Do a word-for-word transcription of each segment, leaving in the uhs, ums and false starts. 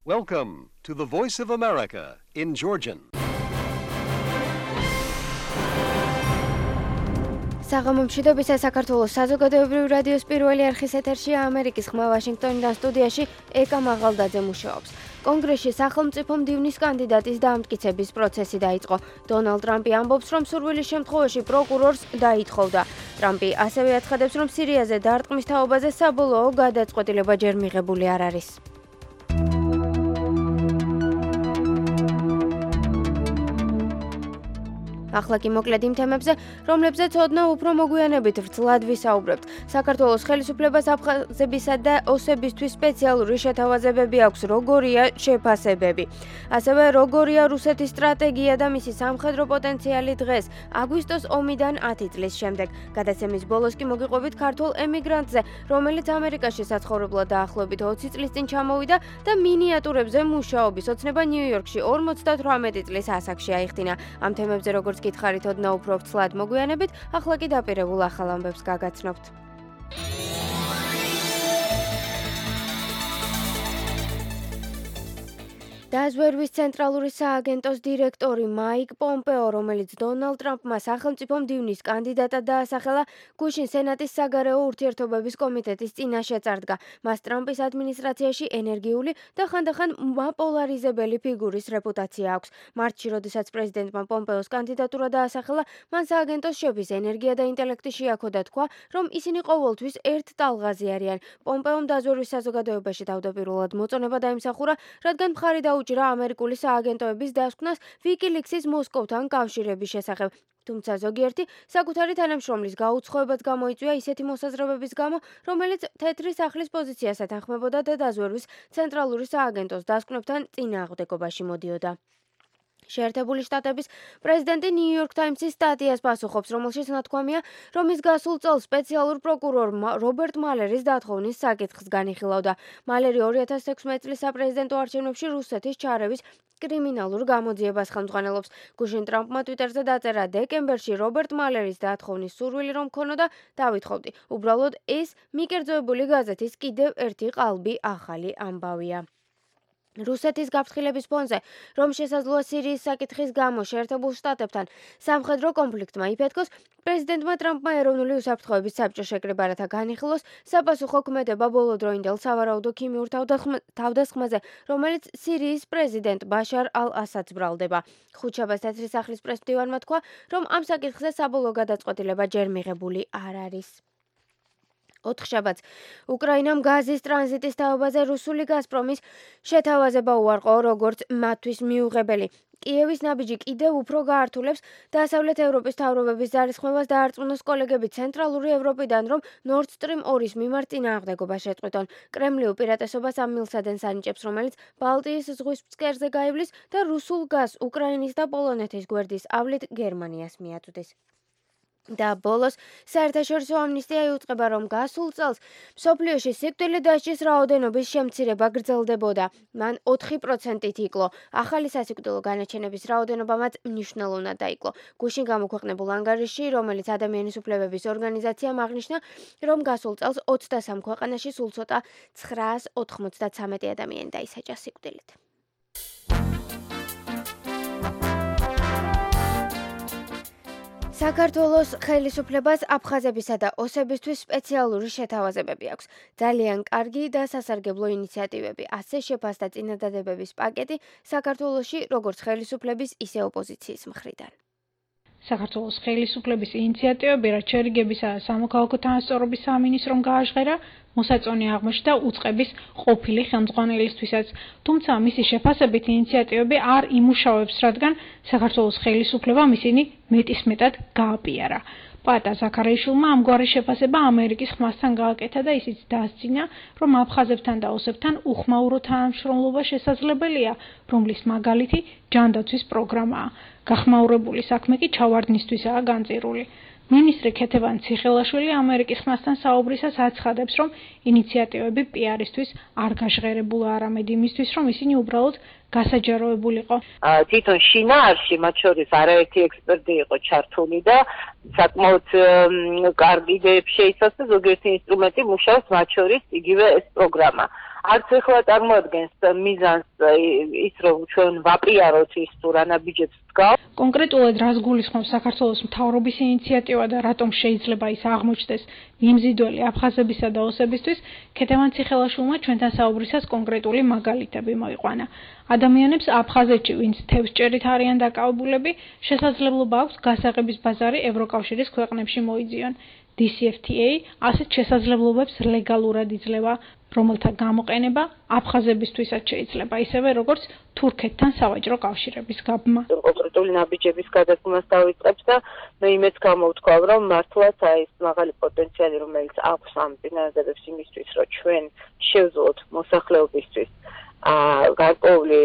Welcome to the Voice of America in Georgian. საღამომშვიდობისა საქართველოს საზოგადოებრივი რადიოს პირველი არხის ეთერშია ამერიკის ხმა ვაშინგტონიდან სტუდიაში ეკა მაღალდაძე მუშაობს. კონგრესში სახელმწიფო მდივნის კანდიდატის დამტკიცების პროცესი დაიწყო. დონალდ ტრამპი ამბობს, რომ სურვილის შემთხვევაში პროკურორს დაითხოვდა. ტრამპი ასევე აცხადებს, რომ სირიაზე დარტყმის თაობაზე საბოლოო გადაწყვეტილება ჯერ მიღებული არ არის. ახლა კი მოკლედ იმ თემებზე, რომლებზეც ოდნავ უფრო მოგვიანებით ვრცლად ვისაუბრებთ. საქართველოს ხელისუფლებას აფხაზებისა და ოსებისთვის სპეციალური შეთავაზებები აქვს, როგორია შეფასებები. ასევე როგორია რუსეთის სტრატეგია და მისი სამხედრო პოტენციალი დღეს, აგვისტოს ომიდან ათი წლის შემდეგ. გადაცემის ბოლოს კი მოგიყვებით ქართულ ემიგრანტზე, რომელიც ამერიკაში საცხოვრებლად დაახლოებით ოცი წლის წინ ჩამოვიდა და მინიატურებზე მუშაობის ოცნება ნიუ-იორკში ორმოცდათვრამეტი წლის ასაკში აიხდინა. ამ თემებზე როგორც გითხარით ოდნავ უფრო ვრცლად მოგვიანებით, ახლა კი დაპირებულ ახალ ამბებს გაგაცნობთ. დაზვერვის ცენტრალური სააგენტოს დირექტორი მაიკ პომპეო, რომელიც დონალდ ტრამპმა სახელმწიფო მდივნის კანდიდატად დაასახელა, გუშინ სენატის საგარეო ურთიერთობების კომიტეტის წინაშე წარდგა. მას ტრამპის ადმინისტრაციაში ენერგიული და ხანდახან მაპოლარიზებელი ფიგურის რეპუტაცია აქვს. მარტში, როდესაც პრეზიდენტმა პომპეოს კანდიდატურა დაასახელა, მან სააგენტოს შეფის ენერგია და ინტელექტი შეაქო და თქვა, რომ ისინი ყოველთვის ერთ ტალღაზე არიან. პომპეომ დაზვერვის საზოგადოებაში თავდაპირველად მოწონება დაიმსახურა, რადგან მხარი დაუჭირა ამერიკული სააგენტოების დასკვნას ვიკილიქსის მოსკოვთან კავშირების შესახებ. თუმცა ზოგიერთი საკუთარი თანამშრომლის გაუცხოებაც გამოიწვია ისეთი მოსაზრებების გამო, რომელიც თეთრი სახლის პოზიციას ეთანხმებოდა და დაზვერვის ცენტრალური სააგენტოს დასკვნებთან წინააღმდეგობაში მოდიოდა. შეერთებული შტატების პრეზიდენტი ნიუ-იორკ ტაიმსის სტატიას პასუხობს, რომელშიც ნათქვამია, რომ ის გასულ წელს სპეციალურ პროკურორ რობერტ მალერის დათხოვნის საკითხს განიხილავდა. მალერი ორი ათას ექვსმეტი წლის საპრეზიდენტო არჩევნებში რუსეთის ჩარევის კრიმინალურ გამოძიებას ხელმძღვანელობს. გუშინ ტრამპმა ტვიტერზე დაწერა, დეკემბერში რობერტ მალერის დათხოვნის სურვილი რომ ქონოდა, დავითხოვდი. უბრალოდ ეს მიკერძოებული გაზეთის კიდევ ერთი ყალბი ახალი ამბავია. რუსეთის გაფრთხილების ფონზე, რომ შესაძლოა სირიის საკითხის გამო შეერთებულ შტატებთან სამხედრო კონფლიქტმა იფეთქოს, პრეზიდენტმა ტრამპმა ეროვნული უსაფრთხოების საბჭო შეკრება, რათა განიხილოს საპასუხო ქმედება ბოლოდროინდელ სავარაუდო ქიმიურ თავდასხმაზე, რომელიც სირიის პრეზიდენტ ბაშარ ალ-ასადს ბრალდება. ხუთშაბათს თეთრი სახლის პრესმდივანმა თქვა, რომ ამ საკითხზე საბოლოო გადაწყვეტილება ჯერ მიღებული არ არის. ოთხშაბათს უკრაინამ გაზის ტრანზიტის თაობაზე რუსული გაზპრომის შეთავაზება უარყო, როგორც მათთვის მიუღებელი. კიევის ნაბიჯი კიდევ უფრო გაართულებს დასავლეთ ევროპის მთავრობების ძალისხმევას დაარწმუნოს კოლეგები ცენტრალური ევროპიდან, რომ Nord Stream ორის მიმართ წინააღმდეგობა შეწყვიტონ. კრემლი უპირატესობას ამ მილსადენს ანიჭებს, რომელიც ბალტიის ზღვის ფსკერზე გაივლის და რუსულ გაზს უკრაინის და პოლონეთის გვერდის ავლით გერმანიას მიაწვდის. და ბოლოს საერთაშორისო ამნისტია იუწყება, რომ გასულ წელს მსოფლიოში სიკვდილით დასჯის რაოდენობის შემცირება გრძელდებოდა. მან ოთხი პროცენტით იკლო. ახალი სასიკვდილო განაჩენების რაოდენობამაც მნიშვნელოვნად დაიკლო. გუშინ გამოქვეყნებულ ანგარიშში, რომელიც ადამიანის უფლებების ორგანიზაციამ აღნიშნა, რომ გასულ წელს ოცდასამ ქვეყანაში სულ ცოტა ცხრაას ოთხმოცდათსამეტი ადამიანი დაისაჯა სიკვდილით. საქართველოს ხელისუფლებას აფხაზებისა და ოსებისთვის სპეციალური შეთავაზებები აქვს. ძალიან კარგი და სასარგებლო ინიციატივები, ასე შეფასდა წინადადებების პაკეტი საქართველოში როგორც ხელისუფლების, ისე ოპოზიციის მხრიდან. საქართველოს ხელისუფლების ინიციატივები, რაც შერიგებისა და სამოქალაქო თანასწორობის სამინისტრომ გააჟღერა, მოსაწონი აღმოჩნდა უწყების ყოფილი ხელმძღვანელისთვისაც. თუმცა მისი შეფასებით ინიციატივები არ იმუშავებს, რადგან საქართველოს ხელისუფლებამ ისინი მეტისმეტად გააპიარა. პატა ზაქარიაშვილმა ამგვარი შეფასება ამერიკის ხმასთან გააკეთა და ისიც დაასწინა, რომ აფხაზებთან და ოსებთან უხმაურო თანამშრომლობა შესაძლებელია, რომლის მაგალითი ჯანდაცვის პროგრამაა. გახმაურებული საქმე კი ჩავარდნისთვისაა განწირული. მინისტრი ქეთევან ციხელაშვილი ამერიკის ხმასთან საუბრისას აცხადებს, რომ ინიციატივები პიარისთვის არ გაჟღერებულა, არამედ იმისთვის, რომ ისინი უბრალოდ გასაჯაროებულიყო. თვითონ შინაარსში მათ შორის არაერთი ექსპერტი იყო ჩართული და საკმაოდ კარგი იდეები შეიცავს და ზოგიერთი ინსტრუმენტი მუშაობს მათ შორის იგივე ეს პროგრამა. არც ეხლა წარმოადგენს მიზანს ის რომ ჩვენ ვაპიაროთ ის თუ რა ნაბიჯებს დგავს. კონკრეტულად რას გულისხმობს საქართველოს მთავრობის ინიციატივა და რატომ შეიძლება ის აღმოჩნდეს მიმზიდველი აფხაზებისა და ოსებისთვის, ქეთევან ციხელაშვილმა ჩვენთან საუბრისას კონკრეტული მაგალითები მოიყვანა. ადამიანებს აფხაზეთში, ვინც თევზჭერით არიან დაკავებულები, შესაძლებლობა აქვს გასაღების ბაზარი ევროკავშირის ქვეყნებში მოიძიონ. დი სი ეფ თი ეი ასეთ შესაძლებლობებს ლეგალურად იძლევა, რომელთა გამოყენება აფხაზებისთვისაც შეიძლება, ისევე როგორც თურქეთთან სავაჭრო კავშირების გაბმა. კონკრეტული ნაბიჯების გადადგმას დავიწყებს და მე იმეც გამოვთქვავ, რომ მართლაც აი ეს მაღალი პოტენციალი, რომელიც აქვს ამ წინადადებს იმისთვის, რომ ჩვენ შევძლოთ მოსახლეობისთვის გარკვეული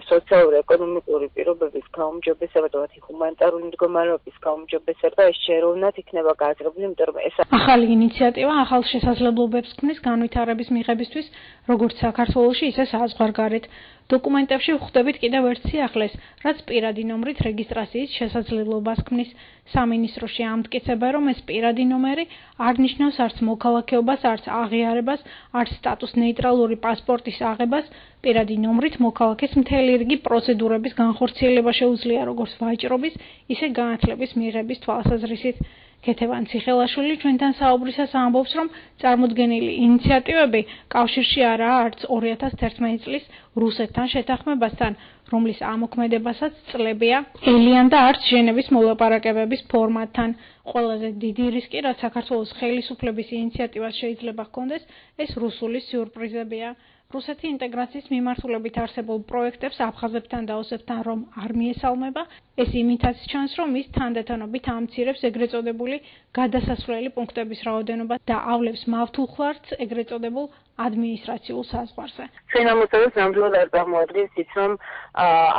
სოციალურ-ეკონომიკური პირობების გაუმჯობესება და ჰუმანიტარული მდგომარეობის გაუმჯობესება ეს შეეროვნად იქნება გააზრებული, იმიტომ რომ ეს ახალი ინიციატივა ახალ შესაძლებლობებს ქმნის განვითარების მიღებისთვის, როგორც საქართველოში, ისე საზღვარგარეთ. დოკუმენტებში ვხვდებით კიდევ ერთ სიახლეს, რაც პირადი ნომრით რეგისტრაციის შესაძლებლობას ქმნის. სამინისტროში ამტკიცება, რომ ეს პირადი ნომერი არ ნიშნავს არც მოქალაქეობას, არც აღიარებას, არც სტატუს ნეიტრალური პასპორტის აღებას. პირადი ნომრით მოქალაქეს მთელი რიგი პროცედურების განხორციელება შეუძლია, როგორც ვაჭრობის, ისე განათლების მიღების თვალსაზრისით. ქეთევან ციხელაშვილი ჩვენთან საუბრისას ამბობს, რომ წარმოდგენილი ინიციატივები კავშირში არაა არც ორი ათას თერთმეტი წლის რუსეთთან შეთანხმებასთან, რომლის ამოქმედებასაც წლებია ელიან და არც ჟენევის მოლაპარაკებების ფორმატთან. ყველაზე დიდი რისკი, რაც საქართველოს ხელისუფლების ინიციატივას შეიძლება ჰქონდეს, ეს რუსული სიურპრიზებია. რუსეთი ინტეგრაციის მიმართულებით არსებულ პროექტებს აფხაზებთან და ოსებთან რომ არ მიესალმება, ეს იმითაც ჩანს, რომ ის თანდათანობით ამცირებს ეგრეთ წოდებული გადასასვლელი პუნქტების რაოდენობა და ავლებს მავთულხლარს ეგრეთ წოდებულ ადმინისტრაციულ საზღვარზე. ჩვენ ამოწევს ნამდვილად არ წარმოადგენს ის, რომ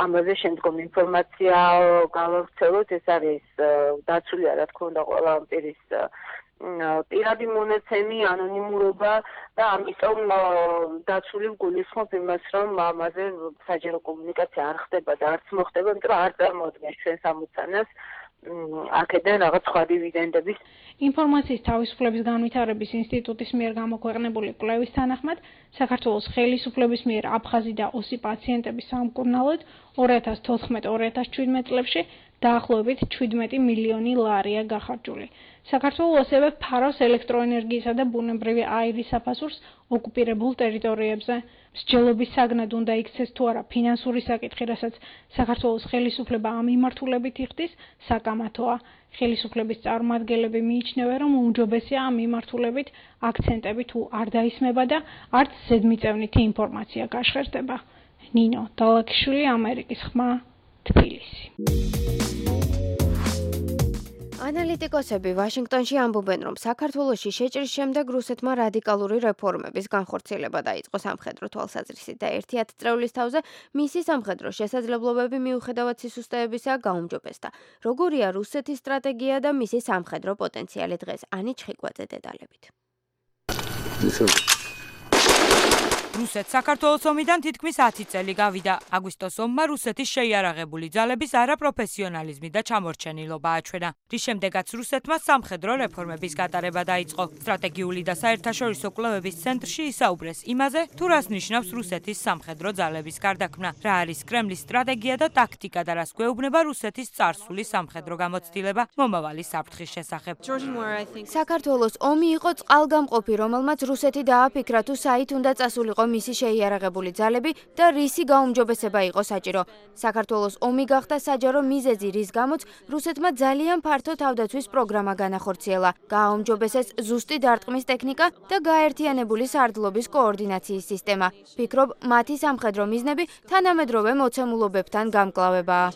ამაზე შემდგომ ინფორმაცია გავავრცელოთ, ეს არის დაცული, რა თქმა უნდა, ყველა პირის პირადი მონაცემი, ანონიმურობა და ამიტომ დაცული გულისხმობ იმას, რომ ამაზე საჯარო კომუნიკაცია არ ხდება და არც მოხდება, იმიტომ რომ არ წარმოადგენს ჩვენს ამოცანას აქედან რაღაც სხვა დივიდენდების. ინფორმაციის თავისუფლების განვითარების ინსტიტუტის მიერ გამოქვეყნებული კვლევის თანახმად, საქართველოს ხელისუფლების მიერ აფხაზი და ოსი პაციენტების სამკურნალოდ ორი ათას თოთხმეტ ორი ათას შვიდმეტ წლებში დაახლოებით შვიდმეტი მილიონი ლარია გახარჯული. საქართველოს ასევე ფარავს ელექტროენერგიისა და ბუნებრივი აირის საფასურს ოკუპირებულ ტერიტორიებზე. მსჯელობის საგნად უნდა იქცეს თუ არა ფინანსური საკითხი, რასაც საქართველოს ხელისუფლება ამ მიმართულებით იხდის, საკამათოა. ხელისუფლების წარმომადგენლები მიიჩნევენ, რომ უმჯობესია ამ მიმართულებით აქცენტები თუ არ დაისმება და არც ზედმიწევნითი ინფორმაცია გაშხერდება. ნინო დალაქიშვილი, ამერიკის ხმა, თბილისი. ანალიტიკოსები ვაშინგტონში ამბობენ, რომ საქართველოში შეჭრის შემდეგ რუსეთმა რადიკალური რეფორმების განხორციელება დაიწყო სამხედრო თვალსაზრისით და ერთი ათწლეულის თავზე მისი სამხედრო შესაძლებლობები მიუხედავად სისუსტეებისა გაუმჯობესდა. როგორია რუსეთის სტრატეგია და მისი სამხედრო პოტენციალი დღეს? ანი ჩხიკვაძე დეტალებით. რუსეთს საქართველოს ომიდან თითქმის ათი წელი გავიდა. აგვისტოს ომმა რუსეთის შეიარაღებული ძალების არაპროფესიონალიზმი და ჩამორჩენილობა აჩვენა, რის შემდეგაც რუსეთმა სამხედრო რეფორმების გატარება დაიწყო. სტრატეგიული და საერთაშორისო კვლევების ცენტრში ისაუბრეს იმაზე, თუ რას ნიშნავს რუსეთის სამხედრო ძალების გარდაქმნა, რა არის კრემლის სტრატეგია და ტაქტიკა და რას გვეუბნება რუსეთის წარსული სამხედრო გამოცდილება მომავალი საფრთხის შესახებ. საქართველოს ომი იყო წყალგამყოფი, რომელმაც რუსეთი დააფიქრა, თუ საით უნდა წასულიყო მისი შეიარაღებული ძალები და რისი გაუმჯობესება იყო საჭირო. საქართველოს ომი გახდა საჯარო მიზეზი, რის გამოც რუსეთმა ძალიან ფართო თავდაცვის პროგრამა განახორციელა. გააუმჯობესეს ზუსტი დარტყმის ტექნიკა და გაერთიანებული სარდლობის კოორდინაციის სისტემა. ფიქრობ, მათი სამხედრო მიზნები თანამედროვე მოცემულობებთან გამკლავებაა.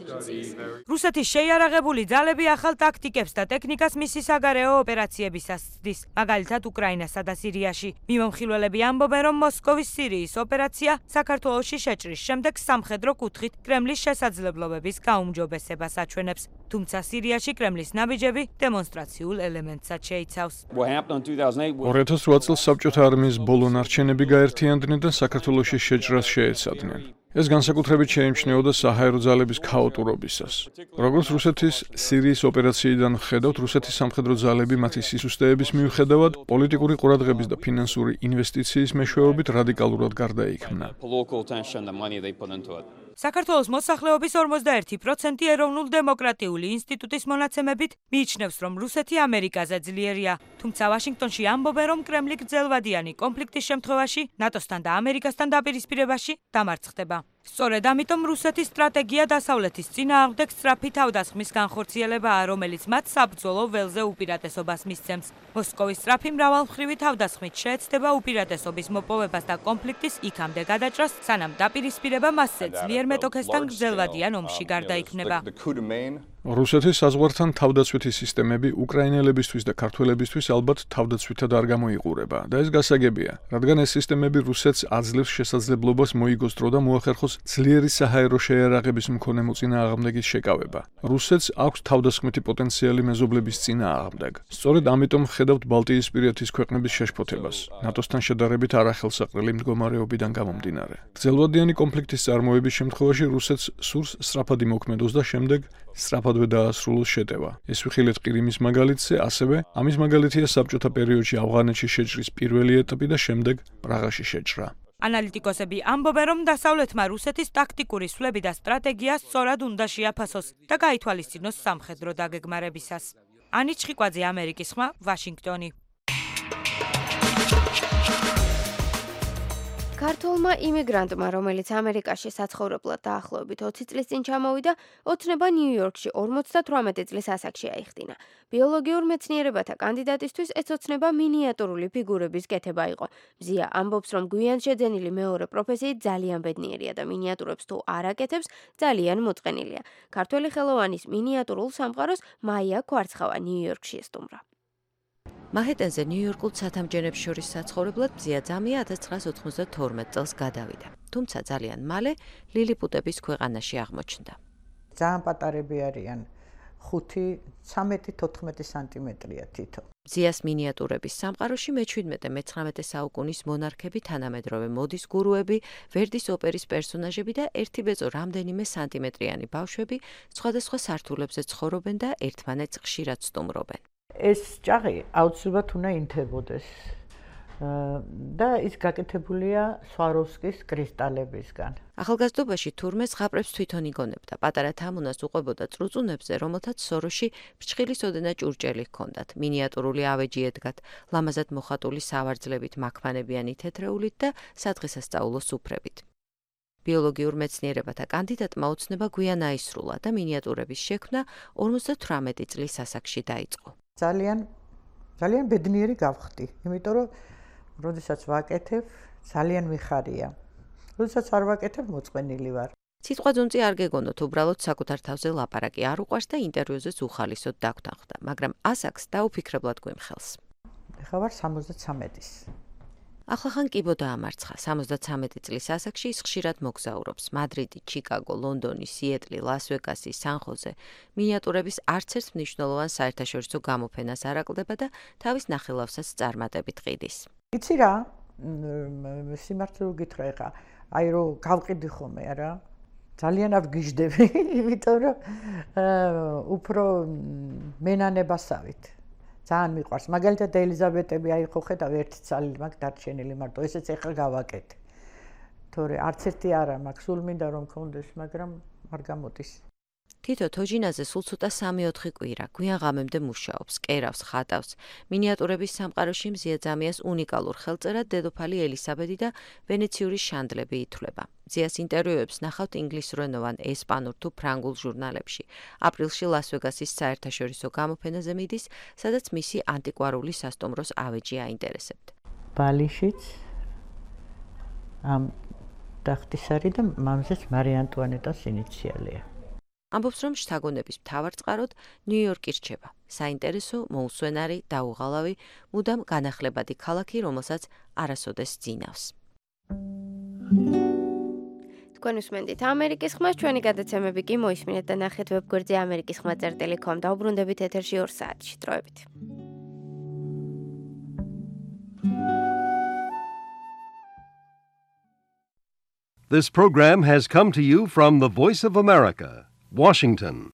რუსეთის შეიარაღებული ძალები ახალ ტაქტიკებს და ტექნიკას მისი საგარეო ოპერაციებისას ცდის, მაგალითად უკრაინასა და სირიაში. მიმომხილველები ამბობენ, რომ მოსკოვის სირიის ოპერაცია საქართველოში შეჭრის შემდეგ სამხედრო კუთხით კრემლის შესაძლებლობების გაუმჯობესებას აჩვენებს. თუმცა სირიაში კრემლის ნაბიჯები დემონსტრაციულ ელემენტსაც შეიცავს. ორი ათას რვა წელს საბჭოთა არმიის ბოლო ნარჩენები გაერთიანდნენ და საქართველოში შეჭრას შეეცადნენ. ეს განსაკუთრებით შეიმჩნეოდა საჰაერო ძალების ქაოტურობისას. როგორც რუსეთის სირიის ოპერაციიდან ხედავთ, რუსეთის სამხედრო ძალები მათი სისუსტეების მიუხედავად პოლიტიკური ყურადღების და ფინანსური ინვესტიციის მეშვეობით რადიკალურად გარდაიქმნა. საქართველოს მოსახლეობის ორმოცდაერთი პროცენტი ეროვნულ დემოკრატიული ინსტიტუტის მონაცემებით მიიჩნევს, რომ რუსეთი ამერიკაზე ძლიერია. თუმცა ვაშინგტონში ამბობენ, რომ კრემლი გრძელვადიანი კონფლიქტის შემთხვევაში ნატოსთან და ამერიკასთან დაპირისპირებაში დამარცხდება. სწორედ ამიტომ რუსეთის სტრატეგია დასავლეთის წინააღმდეგ სწრაფი თავდასხმის განხორციელებაა, რომელიც მათ საბრძოლო ველზე უპირატესობას მისცემს. მოსკოვის სწრაფი მრავალმხრივი თავდასხმით შეეცდება უპირატესობის მოპოვებას და კონფლიქტის იქამდე გადაჭრას, სანამ დაპირისპირება მასზე ძლიერ მეტოქესთან გრძელვადიან ომში გარდაიქმნება. რუსეთის საზღვართან თავდაცვითი სისტემები უკრაინელებისთვის და ქართველებისთვის ალბათ თავდაცვითად არ გამოიყურება და ეს გასაგებია, რადგან ეს სისტემები რუსეთს აძლევს შესაძლებლობას მოიგოს დრო და მოახერხოს ძლიერი საჰაერო შეიარაღების მქონე მოწინააღმდეგის შეკავება. რუსეთს აქვს თავდასხმითი პოტენციალი მეზობლების წინააღმდეგ. სწორედ ამიტომ ხედავთ ბალტიისპირეთის ქვეყნების შეშფოთებას, ნატოსთან შედარებით არახელსაყრელი მდგომარეობიდან გამომდინარე. გრძელვადიანი კონფლიქტის წარმოების შემთხვევაში რუსეთს სურს სწრაფად იმოქმედოს და შემდეგ სწრაფადვე დაასრულოს შეტევა. ეს ვიხილეთ ყირიმის მაგალითზე, ასევე ამის მაგალითია საბჭოთა პერიოდში ავღანეთში შეჭრის პირველი ეტაპი და შემდეგ პრაღაში შეჭრა. ანალიტიკოსები ამბობენ, რომ დასავლეთმა რუსეთის ტაქტიკური სვლები და სტრატეგია სწორად უნდა შეაფასოს და გაითვალისწინოს სამხედრო დაგეგმარებისას. ანი ჩხიკვაძე, ამერიკის ხმა, ვაშინგტონი. ქართველმა იმიგრანტმა, რომელიც ამერიკაში საცხოვრებლად დაახლოებით ოცი წლის წინ ჩამოვიდა, ოცნება ნიუ-იორკში ორმოცდათვრამეტი წლის ასაკში აიხდინა. ბიოლოგიურ მეცნიერებათა კანდიდატისთვის ეს ოცნება მინიატურული ფიგურების კეთება იყო. მზია ამბობს, რომ გვიან შეძენილი მეორე პროფესიით ძალიან ბედნიერია და მინიატურებს თუ არ აკეთებს, ძალიან მოწყენილია. ქართველი ხელოვანის მინიატურულ სამყაროს მაია ქვარცხავა ნიუ-იორკში ესტუმრა. მაჰეტენზე ნიუ-იორკულ ცათამბჯენებს შორის საცხოვრებლად მზია ძამია ათას ცხრაას ოთხმოცდათორმეტ წელს გადავიდა. თუმცა ძალიან მალე ლილიპუტების ქვეყანაში აღმოჩნდა. ძალიან პატარები არიან, ხუთი, ცამეტი, თოთხმეტი სანტიმეტრია თითო. მზიას მინიატურების სამყაროში მეჩვიდმეტე მეცხრამეტე საუკუნის მონარქები, თანამედროვე მოდის გურუები, ვერდის ოპერის პერსონაჟები და ერთი ბეწო რამდენიმე სანტიმეტრიანი ბავშვები სხვადასხვა სართულებზე ცხოვრობენ და ერთმანეთს ხშირად სტუმრობენ. ეს ჭაღი აუცილებლად უნდა ინთებოდეს და ის გაკეთებულია სვაროვსკის კრისტალებისგან. ახალგაზრდობაში თურმე ზღაპრებს თვითონ იგონებდა. პატარა თამუნას უყვებოდა წრუწუნებზე, რომელთაც სოროში ფრჩხილის ოდენა ჭურჭელი ჰქონდათ. მინიატურული ავეჯი ედგათ, ლამაზად მოხატული სავარძლებით, მაქმანებიანი თეთრეულით და სადღესასწაულო სუფრებით. ბიოლოგიურ მეცნიერებათა კანდიდატმა ოცნება გვიან აისრულა და მინიატურების შექმნა ორმოცდათვრამეტი წლის ასაკში დაიწყო. ძალიან ძალიან ბედნიერი გავხდი, იმიტომ რომ როდესაც ვაკეთებ, ძალიან მიხარია. როდესაც არ ვაკეთებ, მოწყენილი ვარ. სიტყვა ძუნწი არ გეგონოთ, უბრალოდ საკუთარ თავზე ლაპარაკი არ უყვარს და ინტერვიუზეც უხალისოდ დაგვთანხმდა, მაგრამ ასაკს დაუფიქრებლად გვიმხელს. ეხლა ვარ სამოცდათვრამეტის. ახლახან კიბო დაამარცხა. სამოცდათვრამეტი წლის ასაკში ის ხშირად მოგზაურობს. მადრიდი, ჩიკაგო, ლონდონი, სიეტლი, ლას-ვეგასი, სან-ხოზე. მინიატურების არც ერთ მნიშვნელოვან საერთაშორისო გამოფენას არ აკლდება და თავის ნახელავსაც წარმატებით ყიდის. იცი რა? სიმართლე გითხრა ეხა, აი რომ გავყიდი ხოლმე არა? ძალიან ავგიჟდები, იმიტომ რომ უფრო მენანებასავით. ძალიან მიყვარს. მაგალითად ელიზაბეტები აი ხო ხედავ ერთი ცალი მაგ დარჩენილი მარტო ესეც ეხლა გავაკეთე. თორე არც ერთი არა მაქვს, სულ მინდა რომ მქონდეს, მაგრამ არ გამოდის. თითო თოჯინაზე სულ ცოტა სამი-ოთხი კვირა, გვიან ღამემდე მუშაობს, კერავს, ხატავს. მინიატურების სამყაროში მზია ძამიას უნიკალურ ხელწერად დედოფალი ელისაბედი და ვენეციური შანდლები ითვლება. მზიას ინტერვიუებს ნახავთ ინგლისურენოვან, ესპანურ თუ ფრანგულ ჟურნალებში. აპრილში ლას-ვეგასის საერთაშორისო გამოფენაზე მიდის, სადაც მისი ანტიკვარული სასტუმროს ავეჯი აინტერესებთ. ბალიშიც ამ ტახტის არის და მამზეც მარი ანტუანეტას ინიციალია. ამბობს, რომ შთაგონების მთავარ წყაროდ ნიუ-იორკი რჩება. საინტერესო, მოუსვენარი, დაუღალავი, მუდამ განახლებადი ქალაქი, რომელსაც არასოდეს ძინავს. თქვენ უსმენთ ამერიკის ხმას, ჩვენი გადაცემები კი მოისმინეთ და ნახეთ ვებგვერდზე ამერიკის ხმა წერტილი კომ დაუბრუნდებით ეთერში ორ საათში. დროებით. This program has come to you from the Voice of America, Washington.